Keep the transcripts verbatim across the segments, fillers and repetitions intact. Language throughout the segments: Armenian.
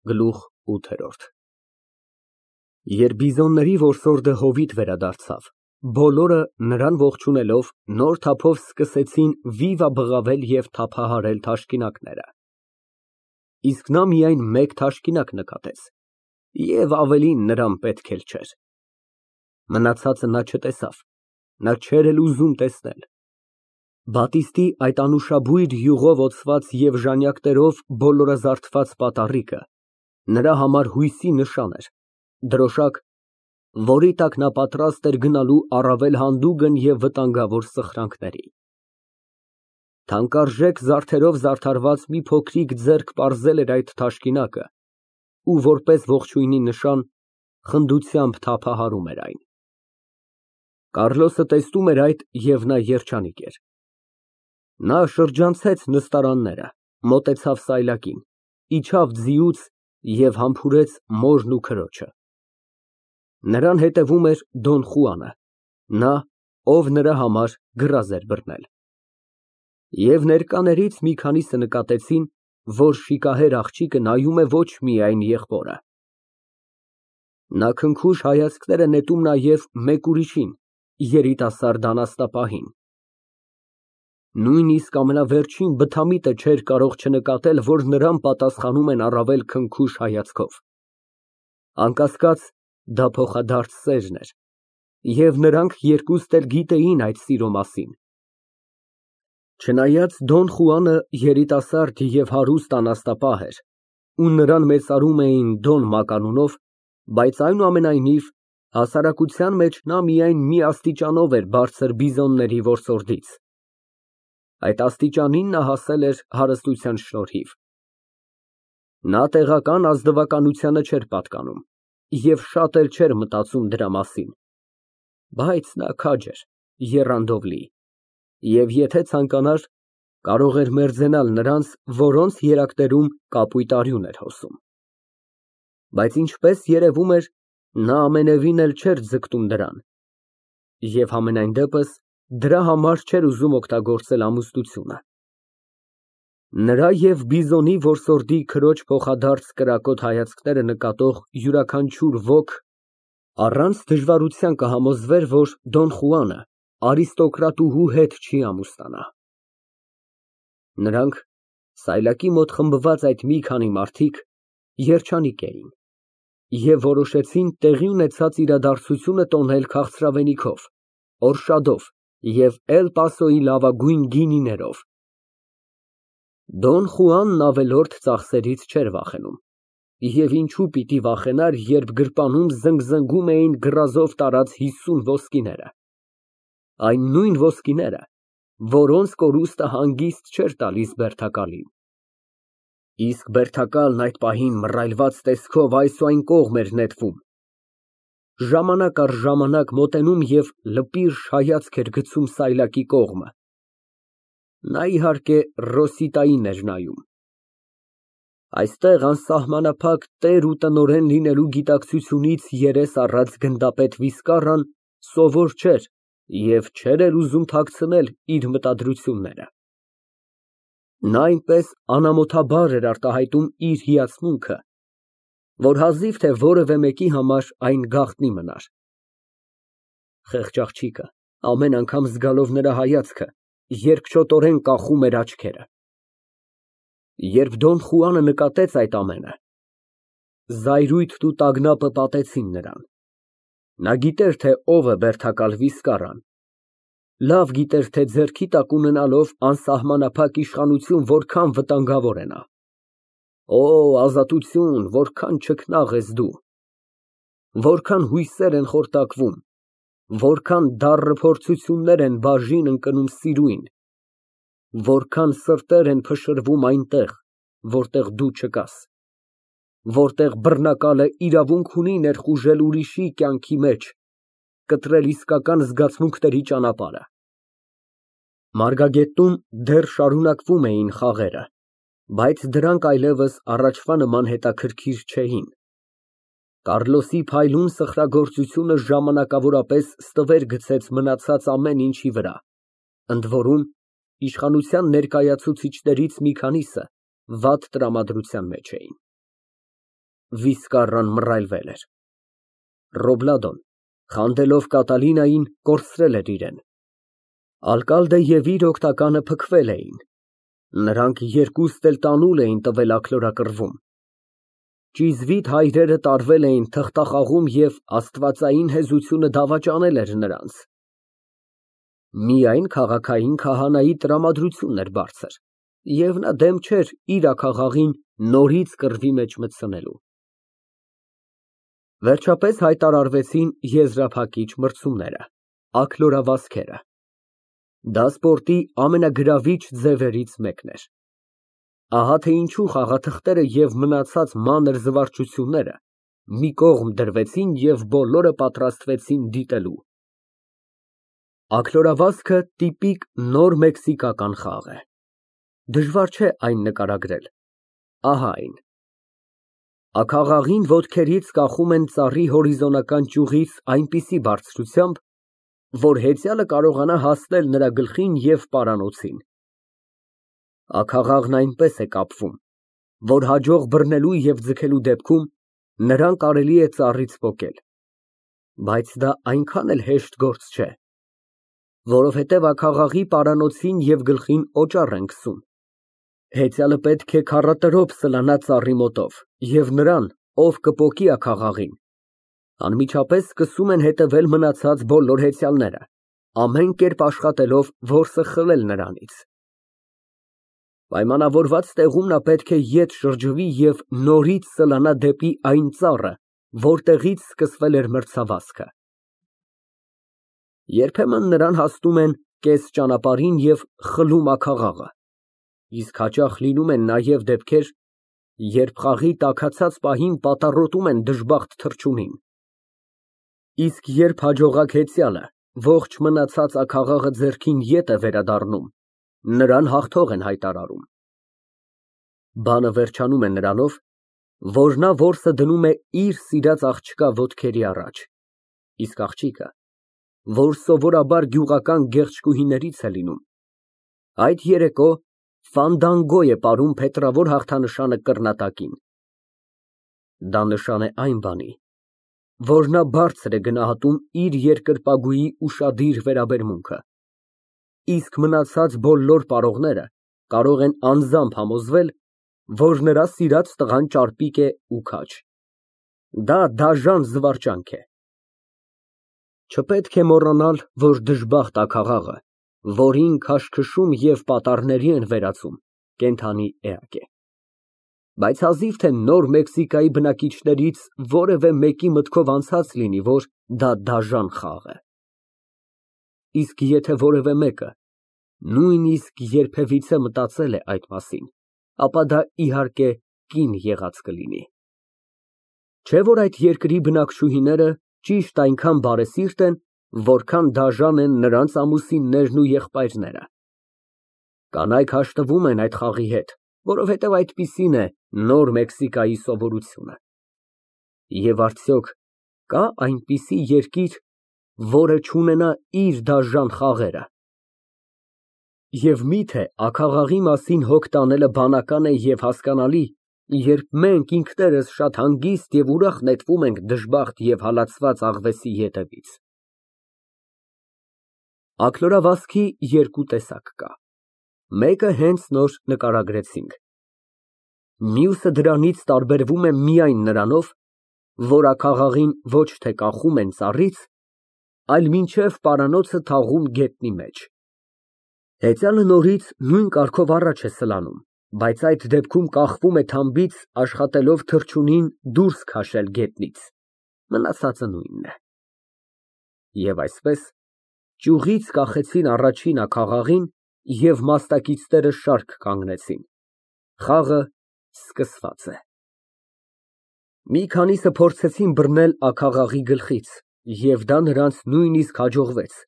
Գլուխ ութ Երբ բիզոնների որսորդը հովիտ վերադարձավ, բոլորը, նրան ողջունելով, նոր թափով սկսեցին վիվա֊բղավել և թափահարել թաշկինակները, իսկ նա միայն մեկ թաշկինակ նկատեց և ավելին նրան պետք էլ չէր, մնացածը նա չտեսավ, նա չէր էլ ուզում տեսնել։ Բատիստի այդ անուշաբույր յուղով օծված և ժանյակներով բոլորազարդված պատառիկը նրա համար հույսի նշան էր, դրոշակ, որի տակ նա պատրաստ էր գնալու առավել հանդուգն և վտանգավոր սխրանքների։ Թանկարժեք զարդերով զարդարված մի փոքրիկ ձեռք պարզել էր այդ թաշկինակը ու որպես ողջույնի նշան խնդությամբ թափահարում էր այն։ Կարլոսը տեսնում էր այդ և նա երջանիկ էր։ Նա շրջանցեց նստարանները, մոտեցավ սայլակին, իջավ ձիուց և համբուրեց մորն ու քրոջը։ Նրան հետևում էր Դոն Խուանը, նա, ով նրա համար գրազ էր բռնել։ Եվ ներկաներից մի քանիսը նկատեցին, որ շիկահեր աղջիկը նայում է ոչ միայն եղբորը։ Նա քնքուշ հայացքներ է նետում նաև մեկ ուրիշին, երիտասարդ անաստապահին։ Նույնիսկ ամենավերջին բթամիտը չէր կարող չնկատել, որ նրան պատասխանում են առավել քնքուշ հայացքով։ Անկասկած, դա փոխադարձ սերն էր, և նրանք երկուստ էլ գիտեին այդ սիրո մասին։ Չնայած Դոն Խուանը երիտասարդ և հարուստ անաստապահ էր, ու նրան մեծարում էին Դոն մականունով, բայց այնուամենայնիվ, հասարակության մեջ նա միայն մի աստիճանով էր բարձր բիզոնների որսորդից։ Այդ աստիճանին նա հասել էր հարստության շնորհիվ։ Նա տեղական ազնվականությանը չէր պատկանում և շատ էլ չէր մտածում դրա մասին, բայց նա քաջ էր, եռանդով լի, և եթե ցանկանար, կարող էր մերձենալ նրանց, որոնց երակներում կապույտ արյուն էր հոսում։ Բայց ինչպես երևում էր, նա ամենևին էլ չէր ձգտում դրան, և համենայն դեպս դրա համար չէր ուզում օգտագործել ամուսնությունը։ Նրա և բիզոնի որսորդի քրոջ փոխադարձ կրակոտ հայացքները նկատող յուրաքանչյուր ոք առանց դժվարության կհամոզվեր, որ Դոն Խուանը արիստոկրատուհու հետ չի ամուսնանա։ Նրանք, սայլակի մոտ խմբված այդ մի քանի մարդիկ, երջանիկ էին և որոշեցին տեղի ունեցած իրադարձությունը տոնել քաղցրավենիքով, օրշադով և Էլ Պասոյի լավագույն գինիներով։ Դոն Խուանն ավելորդ ծախսերից չէր վախենում, և ինչու պիտի վախենար, երբ գրպանում զնգզնգում էին գռազով տարած հիսուն ոսկիները, այն նույն ոսկիները, որոնց կորուստը հանգիստ չէր տալիս բերդակալին։ Իսկ բերդակալն այդ պահին մռայլված տեսքով այս ու այն կողմ էր նետվում, ժամանակ առ ժամանակ մոտենում և լպիրշ հայացք էր գցում սայլակի կողմը։ Նա, իհարկե, Ռոսիտային էր նայում։ Այստեղ անսահմանափակ տեր ու տնօրեն լինելու գիտակցությունից երես առած գնդապետ Վիսկարան սովոր չէր և չէր էլ ուզում թաքցնել իր մտադրությունները։ Նա այնպես անամոթաբար էր արտահայտում իր հիացմունքը, որ հազիվ թե որևէ մեկի համար այն գաղտնի մնար։ Խեղճ աղջիկը, ամեն անգամ զգալով նրա հայացքը, երկչոտորեն կախում էր աչքերը։ Երբ Դոն Խուանը նկատեց այդ ամենը, զայրույթն ու տագնապը պատեցին նրան։ Նա գիտեր, թե ով է բերդակալ Վիսկարան, լավ գիտեր, թե ձեռքի տակ ունենալով անսահմանափակ իշխանություն որքան վտանգավոր է նա։ Օ, ազատություն, որքան չքնաղ ես դու, որքան հույսեր են խորտակվում, որքան դառը փորձություններ են բաժին ընկնում սիրուն, որքան սրտեր են փշրվում այնտեղ, որտեղ դու չկաս, որտեղ բռնակալը իրավունք ունի ներխուժել ուրիշի կյանքի մեջ, կտրել իսկական զգացմունքների ճանապարհը։ Մարգագետնում դեռ շարունակվում էին խաղերը, բայց դրանք այլևս առաջվա նման հետաքրքիր չէին։ Կարլոսի փայլուն սխրագործությունը ժամանակավորապես ստվեր գցեց մնացած ամեն ինչի վրա, ընդ որում, իշխանության ներկայացուցիչներից մի քանիսը վատ տրամադրության մեջ էին։ վիսկառան մռայլվել էր։ Ռոբլադոն, խանդելով Կատալինային, կորցրել էր իրեն։ Ալկալդը և իր օգնականը փքվել էին։ Նրանք երկուստ էլ տանուլ էին տվել աքլորակռվում։ Ճիզվիտ հայրերը տարվել էին թղթախաղում և աստվածային հեզությունը դավաճանել էր նրանց։ Միայն քաղաքային քահանայի տրամադրությունն էր բարձր, և նա դեմ չէր իր աքաղաղին նորից կռվի մեջ մտցնելու։ Վերջապես հայտարարվեցին եզրափակիչ մրցումները, աքլորավազքերը։ Դա սպորտի ամենագրավիչ ձևերից մեկն էր։ Ահա թե ինչու խաղաթղթերը և մնացած մանր զվարճությունները մի կողմ դրվեցին և բոլորը պատրաստվեցին դիտելու։ Աքլորավազքը տիպիկ նոր մեքսիկական խաղ է։ Դժվար չէ այն նկարագրել։ Ահա այն։ Աքաղաղին ոտքերից կախում են ծառի հորիզոնական ճյուղից այնպիսի բարձրությամբ, որ հեծյալը կարողանա հասնել նրա գլխին և պարանոցին։ Աքաղաղն այնպես է կապվում, որ հաջող բռնելու և ձգելու դեպքում նրան կարելի է ծառից պոկել։ Բայց դա այնքան էլ հեշտ գործ չէ, որովհետև աքաղաղի պարանոցին և գլխին օճառ են քսում։ Հեծյալը պետք է քառատրոփ սլանա ծառի մոտով, և նրան, ով կպոկի աքաղաղին, անմիջապես սկսում են հետևել մնացած բոլոր հեծյալները, ամեն կերպ աշխատելով որսը խլել նրանից։ Պայմանավորված տեղում նա պետք է ետ շրջվի և նորից սլանա դեպի այն ծառը, որտեղից սկսվել էր մրցավազքը։ Երբեմն նրան հասնում են կես ճանապարհին և խլում աքաղաղը, իսկ հաճախ լինում են նաև դեպքեր, երբ խաղի տաքացած պահին պատառոտում են դժբախտ թռչունին։ Իսկ երբ հաջողակ հեծյալը ողջ մնացած աքաղաղը ձեռքին ետ է վերադառնում, նրան հաղթող են հայտարարում։ Բանը վերջանում է նրանով, որ նա որսը դնում է իր սիրած աղջկա ոտքերի առաջ, իսկ աղջիկը, որ սովորաբար գյուղական գեղեցկուհիներից է լինում, այդ երեկո ֆանդանգո է պարում փետրավոր հաղթանշանը կռնատակին։ Դա նշան է այն բանի, որ նա բարձր է գնահատում իր երկրպագուի ուշադիր վերաբերմունքը, իսկ մնացած բոլոր պարողները կարող են անձամբ համոզվել, որ նրա սիրած տղան ճարպիկ է ու քաջ։ Դա դաժան զվարճանք է։ Չպետք է մոռանալ, որ դժբախտ աքաղաղը, որին քաշքշում և պատառների են վերածում, կենդանի էակ է։ Բայց հազիվ թե Նոր Մեքսիկայի բնակիչներից որևէ մեկի մտքով անցած լինի, որ դա դաժան խաղ է։ Իսկ եթե որևէ մեկը նույնիսկ երբևիցե մտածել է այդ մասին, ապա դա իհարկե կին եղած կլինի։ Չէ՞ որ այդ երկրի բնակչուհիները ճիշտ այնքան բարեսիրտ են, որքան դաժան են նրանց ամուսիններն ու եղբայրները։ Կանայք հաշտվում են այդ խաղի հետ, որովհետև այդպիսին է Նոր Մեքսիկայի սովորությունը։ Եվ արդյոք կա այնպիսի երկիր, որը չունենա իր դաժան խաղերը։ Եվ միթե աքաղաղի մասին հոգ տանելը բանական է և հասկանալի, երբ մենք ինքներս շատ հանգիստ և ուրախ նետվում ենք դժբախտ և հալածված աղվեսի ետևից։ Աքլորավազքի երկու տեսակ կա, մեկը հենց նոր նկարագրեցինք, մյուսը դրանից տարբերվում է միայն նրանով, որ աքաղաղին ոչ թե կախում են ծառից, այլ մինչև պարանոցը թաղում գետնի մեջ։ Հեծյալը նորից նույն կարգով առաջ է սլանում, բայց այդ դեպքում կախվում է թամբից, աշխատելով թռչունին դուրս քաշել գետնից, մնացածը նույնն է։ Եվ այսպես, ճյուղից կախեցին առաջին աքաղաղին և մասնակիցները շարք կանգնեցին։ Խաղը սկսված է։ Մի քանիսը փորձեցին բռնել աքաղաղի գլխից, և դա նրանց նույնիսկ հաջողվեց,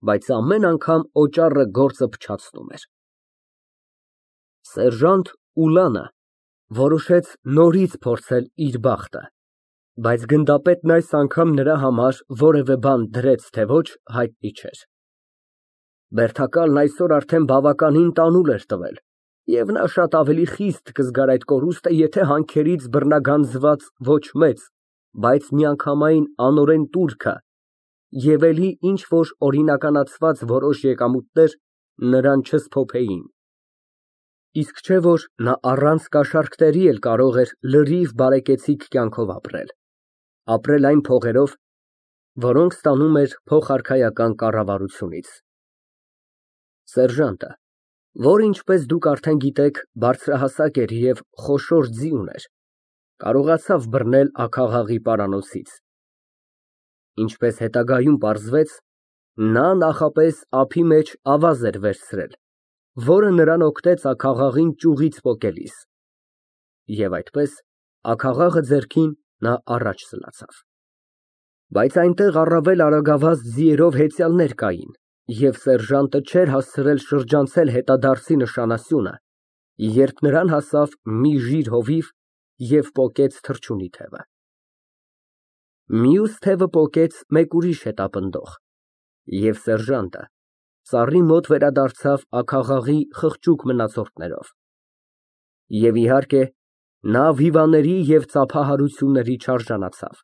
բայց ամեն անգամ օճառը գործը փչացնում էր։ Սերժանտ Ուլանը որոշեց նորից փորձել իր բախտը, բայց գնդապետն այս անգամ նրա համար որևէ բան դրեց, թե ոչ, հայտնի չէր։ Բերդակալն այսօր արդեն բավականին տանուլ էր տվել, Եվ նա շատ ավելի խիստ կզգար այդ կորուստը, եթե հանքերից բռնագանձված ոչ մեծ, բայց միանգամայն անօրեն տուրքը և էլի ինչ֊որ օրինականացված որոշ եկամուտներ նրան չսփոփեին։ Իսկ չէ՞ որ նա առանց կաշառքների էլ կարող էր լրիվ բարեկեցիկ կյանքով ապրել, ապրել այն փողերով, որոնք ստանում էր փոխարքայական կառավարությունից։ Սերժանտը, որ, ինչպես դուք արդեն գիտեք, բարձրահասակ էր և խոշոր ձի ուներ, կարողացավ բռնել աքաղաղի պարանոցից։ Ինչպես հետագայում պարզվեց, նա նախապես ափի մեջ ավազ էր վերցրել, որը նրան օգնեց աքաղաղին ճյուղից պոկելիս, և այդպես, աքաղաղը ձեռքին, նա առաջ սլացավ։ Բայց այնտեղ առավել արագավազ ձիերով հեծյալներ կային, և սերժանտը չէր հասցրել շրջանցել հետադարձի նշանասյունը, երբ նրան հասավ մի ժիր հովիվ և պոկեց թռչունի թևը։ Մյուս թևը պոկեց մեկ ուրիշ հետապնդող, և սերժանտը ծառի մոտ վերադարձավ աքաղաղի խղճուկ մնացորդներով։ Եվ իհարկե, նա վիվաների և ծափահարությունների չարժանացավ։